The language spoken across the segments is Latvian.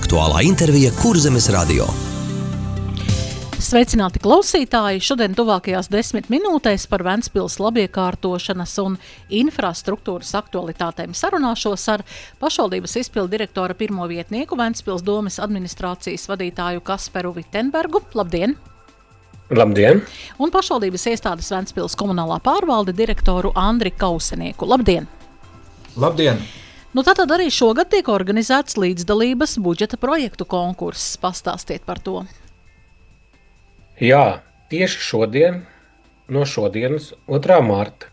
Aktuālā intervija Kurzemes radio. Sveicināti klausītāji! Šodien tuvākajās 10 minūtēs par Ventspils labiekārtošanas un infrastruktūras aktualitātēm sarunāšos ar pašvaldības izpildu direktora pirmo vietnieku Ventspils domes administrācijas vadītāju Kasperu Vitenbergu. Labdien! Labdien! Un pašvaldības iestādes Ventspils komunālā pārvalde direktoru Andri Kausenieku. Labdien! Labdien! Tātad arī šogad tiek organizēts līdzdalības budžeta projektu konkurss. Pastāstiet par to. Jā, tieši šodien, no šodienas, 2. marta,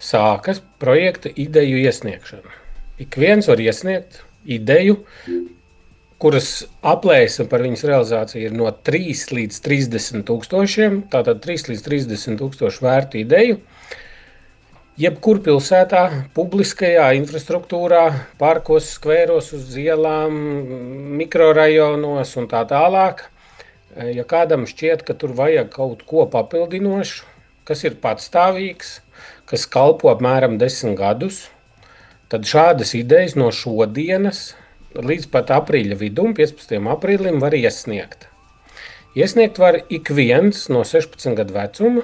sākas projekta ideju iesniegšana. Ik viens var iesniegt ideju, kuras aplēse par viņas realizāciju ir no 3 līdz 30 tūkstošiem, tātad 3 līdz 30 tūkstošu vērtu ideju. Jebkur pilsētā, publiskajā infrastruktūrā, parkos, skvēros, uz ielām, mikrorajonos un tā tālāk. Ja kādam šķiet, ka tur vajag kaut ko papildinošu, kas ir patstāvīgs, kas kalpo apmēram 10 gadus, tad šādas idejas no šodienas līdz pat aprīļa vidum, 15. aprīlim, var iesniegt. Iesniegt var ik viens no 16 gadu vecuma,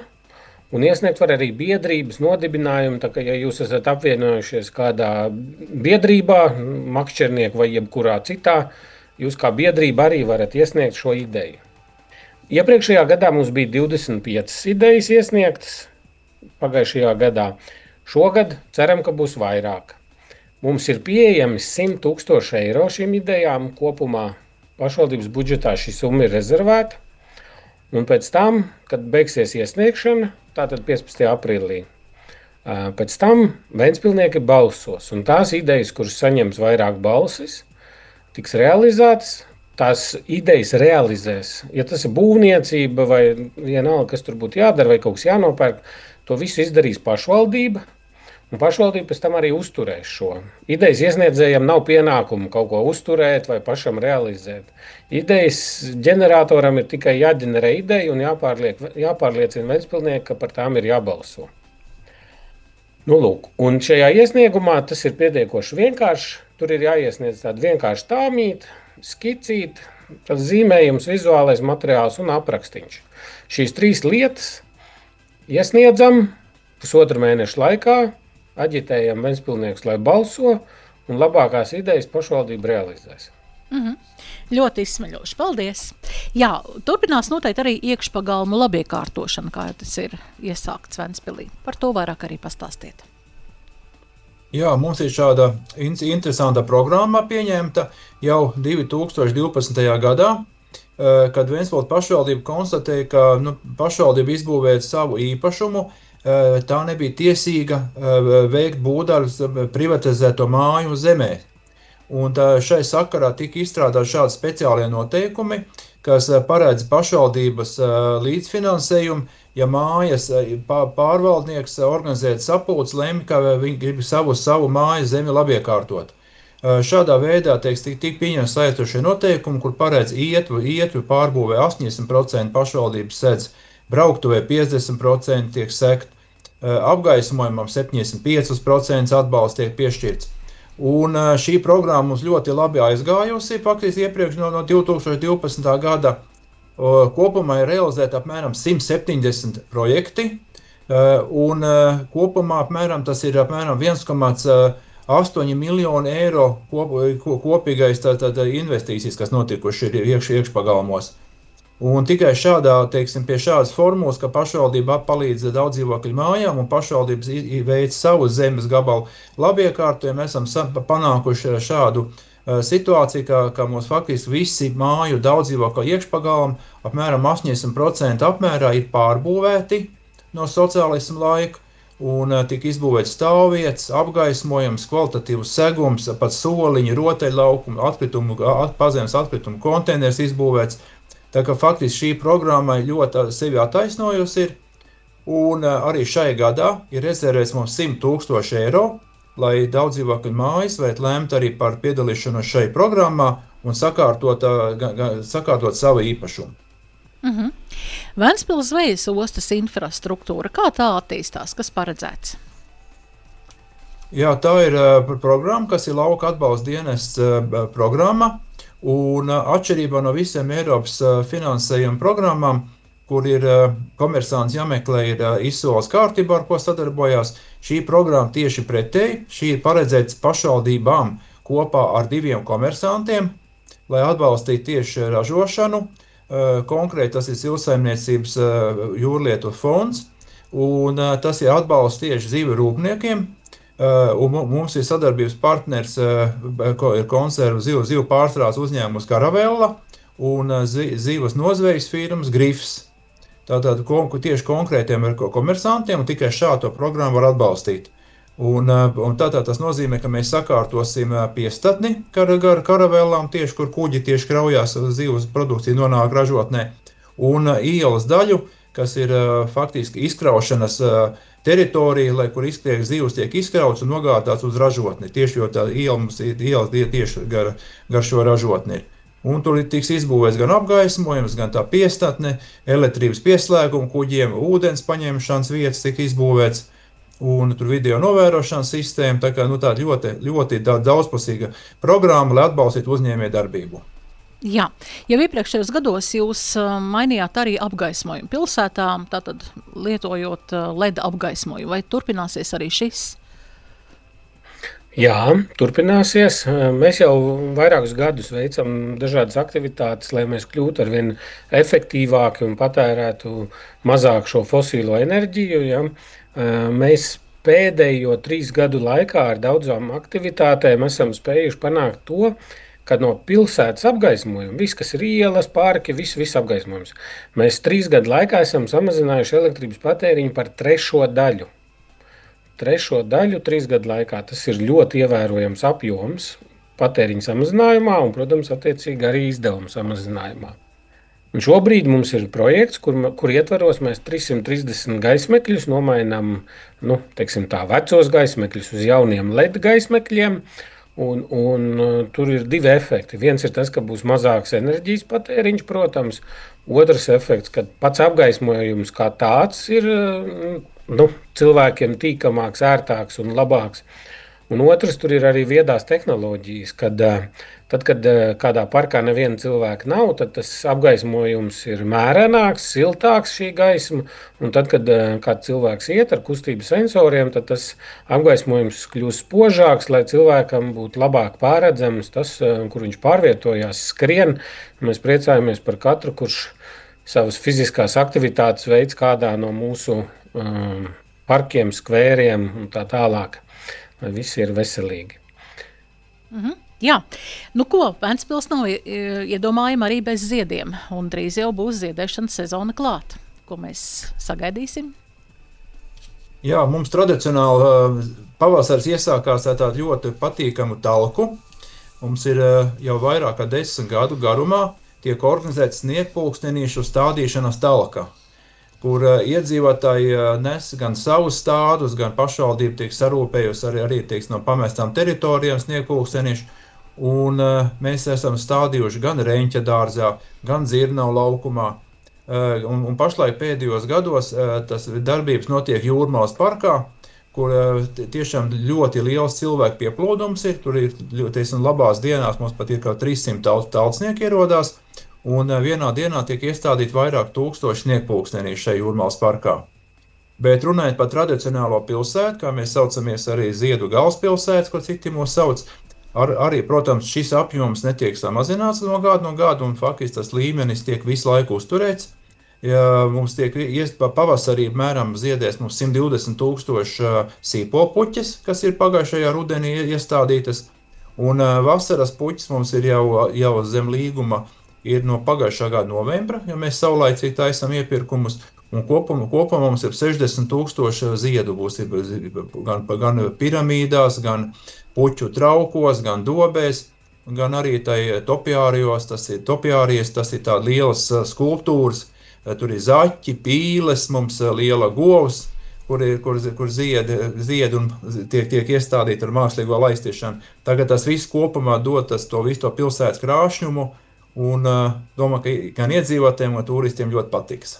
un iesniegt var arī biedrības nodibinājumu, tā kā ja jūs esat apvienojušies kādā biedrībā, makšķernieku vai jebkurā citā, jūs kā biedrība arī varat iesniegt šo ideju. Iepriekšējā gadā mums bija 25 idejas iesniegtas, pagājušajā gadā. Šogad ceram, ka būs vairāk. Mums ir pieejami 100 000 eiro šīm idejām. Kopumā pašvaldības budžetā šī summa ir rezervēta. Un pēc tam, kad beigsies iesniegšana, tātad 15. aprīlī, pēc tam ventspilnieki balsos. Un tās idejas, kuras saņems vairāk balsis, tiks realizētas. Tās idejas realizēs. Ja tas ir būvniecība vai vienalga, kas tur būtu jādara vai kaut kas jānopērk, to visu izdarīs pašvaldība. Un pašvaldība pēc tam arī uzturēs šo. Idejas iesniedzējiem nav pienākumu kaut ko uzturēt vai pašam realizēt. Idejas ģeneratoram ir tikai jāģenerē ideja un jāpārliecina ventspilnieki, ka par tām ir jābalso. Lūk, un šajā iesniegumā tas ir pietiekoši vienkārši. Tur ir jāiesniedz tāda vienkārša tāmīta, skicīt, zīmējums, vizuālais materiāls un aprakstīns. Šīs 3 lietas iesniedzam 1,5 mēneša laikā, aģitējam ventspilniekus, lai balso, un labākās idejas pašvaldība realizēs. Ļoti izsmeļoši. Paldies! Jā, turpinās noteikti arī iekšpagalmu labiekārtošana, kā tas ir iesākts Ventspilī. Par to vairāk arī pastāstiet. Jā, mums ir šāda interesanta programma pieņemta jau 2012. gadā, kad Ventspils pašvaldība konstatēja, ka pašvaldība izbūvēt savu īpašumu, tā nebija tiesīga veikt būvdarbus privatizēto māju zemē. Un šai sakarā tika izstrādāti šādi speciālie noteikumi, kas paredz pašvaldības līdzfinansējumu, ja mājas pārvaldnieks organizēt sapulci, lemj, ka viņi grib savu māju zemi labiekārtot. Šādā veidā tika pieņemti saistošie noteikumi, kur paredz ietvi pārbūvē 80% pašvaldības sedz, brauktuvē 50% tiek sekt, apgaismojumam 75% atbalsts tiek piešķirts. Un šī programma mums ļoti labi aizgājusi, faktiski iepriekš no 2012. gada. Kopumā ir realizēta apmēram 170 projekti, un kopumā tas ir apmēram 1,8 miljonu eiro kopīgais investīcijas, kas notikuši ir iekšpagalmos. Un tikai pie šādas formulas, ka pašvaldība palīdz daudzdzīvokļu mājām un pašvaldības veic savu zemes gabalu labiekārtojumu, esam panākuši šādu situāciju, ka mums faktiski visi māju daudzdzīvokļu iekšpagalmi apmēram 80% apmērā ir pārbūvēti no sociālisma laika, un tika izbūvēts stāvvietas, apgaismojums, kvalitatīvs segums, pat soliņi, rotaļlaukumi, pazemes atkritumu konteiners izbūvēts. Tā kā faktiski šī programma ļoti sevi attaisnojusi ir, un arī šai gadā ir rezervēts mums 100 000 eiro, lai daudzdzīvokļu mājas varētu lemt arī par piedalīšanos šai programmā un sakārtot savu īpašumu. Ventspils zvejas ostas infrastruktūra, kā tā attīstās, kas paredzēts? Jā, tā ir programma, kas ir lauka atbalsta dienests programma, Un atšķirībā no visiem Eiropas finansējuma programmām, kur ir komersants jāmeklē, ir izsoles kārtībā, ar ko sadarbojās, šī programma tieši pretēji. Šī ir paredzēts pašvaldībām kopā ar 2 komersantiem, lai atbalstītu tieši ražošanu. Konkrēti tas ir Zivsaimniecības jūrlietu fonds, un tas ir atbalsts tieši zīve rūpniekiem. Un mums ir sadarbības partners, ir konservu zivu pārstrādes uzņēmums Caravella un zivas nozvejas firmas Grifs. Tātad tieši konkrētiem komersantiem, un tikai šādu programmu var atbalstīt. Un tātad tas nozīmē, ka mēs sakārtosim piestatni karavellām, tieši kur kuģi tieši kraujās zivs produkcija nonāk ražotnē, un ielas daļu, kas ir faktiski izkraušanas teritorija, kur zivs tiek izkrauts un nogādāts uz ražotni. Tieši jo tā ielas tieši gar šo ražotni ir. Un tur tiks izbūvēts gan apgaismojums, gan tā piestatne, elektrības pieslēguma kuģiem, ūdens paņemšanas vietas tika izbūvēts, un tur video novērošanas sistēma. Tā kā tā ļoti daudzpusīga programma, lai atbalstītu uzņēmējdarbību. Jā, jau iepriekšējos gados jūs mainījāt arī apgaismojumu pilsētām, tātad lietojot LED apgaismojumu. Vai turpināsies arī šis? Jā, turpināsies. Mēs jau vairākus gadus veicam dažādas aktivitātes, lai mēs kļūtu arvien efektīvāki un patērētu mazāk šo fosīlo enerģiju. Ja. Mēs pēdējo 3 gadu laikā ar daudzām aktivitātēm esam spējuši panākt to, ka no pilsētas apgaismojuma, viss, kas ir ielas, parki, viss apgaismojums, mēs 3 gadu laikā esam samazinājuši elektrības patēriņu par 3 daļu. 3 daļu 3 gadu laikā. Tas ir ļoti ievērojams apjoms patēriņa samazinājumā un, protams, attiecīgi arī izdevuma samazinājumā. Un šobrīd mums ir projekts, kur ietvaros mēs 330 gaismekļus nomainām, vecos gaismekļus uz jauniem LED gaismekļiem. Un tur ir 2 efekti. Viens ir tas, ka būs mazāks enerģijas patēriņš, protams. Otrs efekts, ka pats apgaismojums kā tāds ir cilvēkiem tīkamāks, ērtāks un labāks. Un otrs, tur ir arī viedās tehnoloģijas, kad kādā parkā neviena cilvēka nav, tad tas apgaismojums ir mērenāks, siltāks šī gaisma, un tad, kad kāds cilvēks iet ar kustību sensoriem, tad tas apgaismojums kļūst spožāks, lai cilvēkam būtu labāk pārredzams tas, kur viņš pārvietojās, skrien. Mēs priecājamies par katru, kurš savas fiziskās aktivitātes veids kādā no mūsu parkiem, skvēriem un tā tālāk. Lai visi ir veselīgi. Jā, Ventspils nav iedomājama arī bez ziediem, un drīz jau būs ziedēšanas sezona klāt. Ko mēs sagaidīsim? Jā, mums tradicionāli pavasaris iesākās ar tādu ļoti patīkamu talku. Mums ir jau vairāk kā 10 gadu garumā tiek organizēts sniegpulkstenīšu stādīšanas talka, kur iedzīvotāji nes gan savus stādus, gan pašvaldība tiek sarūpējusi arī no pamestām teritorijām sniegpulkstenīšu. Un mēs esam stādījuši gan Reņķa dārzā, gan Dzirnavu laukumā. Un pašlaik pēdējos gados tas darbības notiek Jūrmalas parkā, kur tiešām ļoti liels cilvēku pieplūdums ir. Tur ir, labās dienās mums pat ir kā 300 tautsnieki ierodās. Un vienā dienā tiek iestādīti vairāk 1000 sniegpulkstenīši šajā Jūrmalas parkā. Bet runājot par tradicionālo pilsētu, kā mēs saucamies arī Ziedu galvaspilsētas, ko citi mūs sauc, arī, protams, šis apjoms netiek samazināts no gada, un faktiski tas līmenis tiek visu laiku uzturēts. Ja mums tiek pavasarī mēram ziedēs mums 120,000 sīpopuķes, kas ir pagājušajā rudenī iestādītas, un vasaras puķes mums ir jau zem līguma, ir no pagājušā gada novembra, ja mēs saulaicīgi taisam iepirkumus, un kopumā mums ir 60,000 ziedu būs gan piramīdās, gan puķu traukos, gan dobēs, gan arī topiārijos, tas ir tādas lielas skulptūras, tur ir zaķi, pīles, mums liela govs, kur zied un tiek iestādīti ar mākslīgo laistīšanu. Tagad tas viss kopumā dod to visu pilsētas krāšņumu, un domāju, ka gan iedzīvotājiem un turistiem ļoti patiks.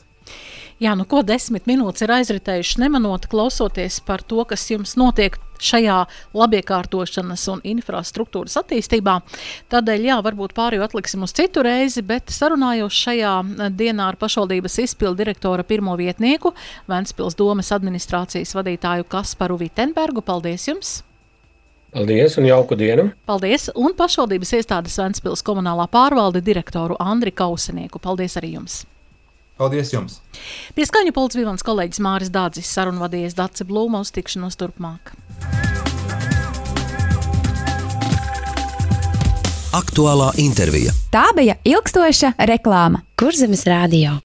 Jā, 10 minūtes ir aizritējuši nemanot, klausoties par to, kas jums notiek šajā labiekārtošanas un infrastruktūras attīstībā. Tādēļ, varbūt pārējo atliksim uz citu reizi, bet sarunājos šajā dienā ar pašvaldības izpildu direktora pirmo vietnieku, Ventspils domes administrācijas vadītāju Kasparu Vitenbergu. Paldies jums! Paldies un jauku dienu! Paldies! Un pašvaldības iestādes Ventspils komunālā pārvalde direktoru Andri Kausenieku. Paldies arī jums! Paldies jums! Pie skaņu pults bija mans kolēģis Māris Dādzis, sarunvadījies Dace Blūma, uz tikšanos turpmāk. Aktuālā intervija. Tā bija ilgstoša reklāma. Kurzemes radio.